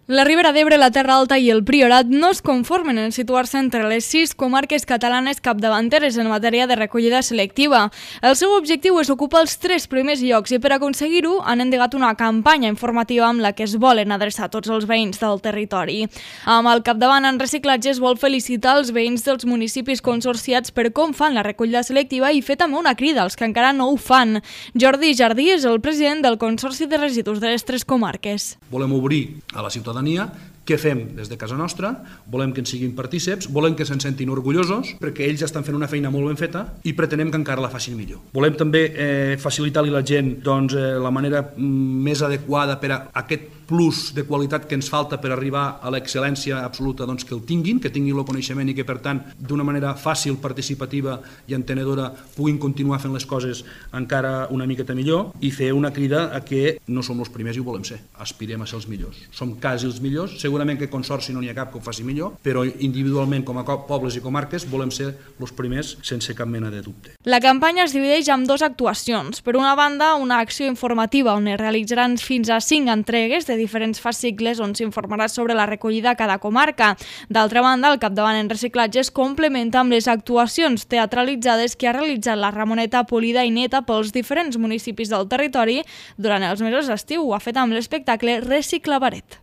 La Ribera d'Ebre, la Terra Alta i el Priorat no es conformen en situar-se entre les 6 comarques catalanes capdavanteres en matèria de recollida selectiva. El seu objectiu és ocupar els 3 primers llocs i per aconseguir-ho han endegat una campanya informativa amb la que es volen adreçar tots els veïns del territori. Amb el capdavant en reciclatge es vol felicitar els veïns dels municipis consorciats per com fan la recollida selectiva i fer també una crida als que encara no ho fan. Jordi Jardí és el president del Consorci de Residus de les 3 comarques. Volem obrir a la ciutadania què fem des de casa nostra, volem que en siguin partíceps, volem que se'n sentin orgullosos, perquè ells estan fent una feina molt ben feta i pretenem que encara la facin millor. Volem també facilitar-li a la gent la manera més adequada per a aquest plus de qualitat que ens falta per arribar a l'excel·lència absoluta, que el tinguin el coneixement i que, per tant, d'una manera fàcil, participativa i entenedora puguin continuar fent les coses encara una miqueta millor i fer una crida a que no som els primers i ho volem ser. Aspirem a ser els millors. Som quasi els millors, segurament que consorci no n'hi ha cap que ho faci millor, però individualment com a pobles i comarques volem ser els primers sense cap mena de dubte. La campanya es divideix en 2 actuacions. Per una banda, una acció informativa on es realitzaran fins a 5 entregues de diferents fascicles on s'informarà sobre la recollida a cada comarca. D'altra banda, el capdavant en reciclatge es complementa amb les actuacions teatralitzades que ha realitzat la Ramoneta polida i neta pels diferents municipis del territori durant els mesos d'estiu. Ho ha fet amb l'espectacle Reciclabaret.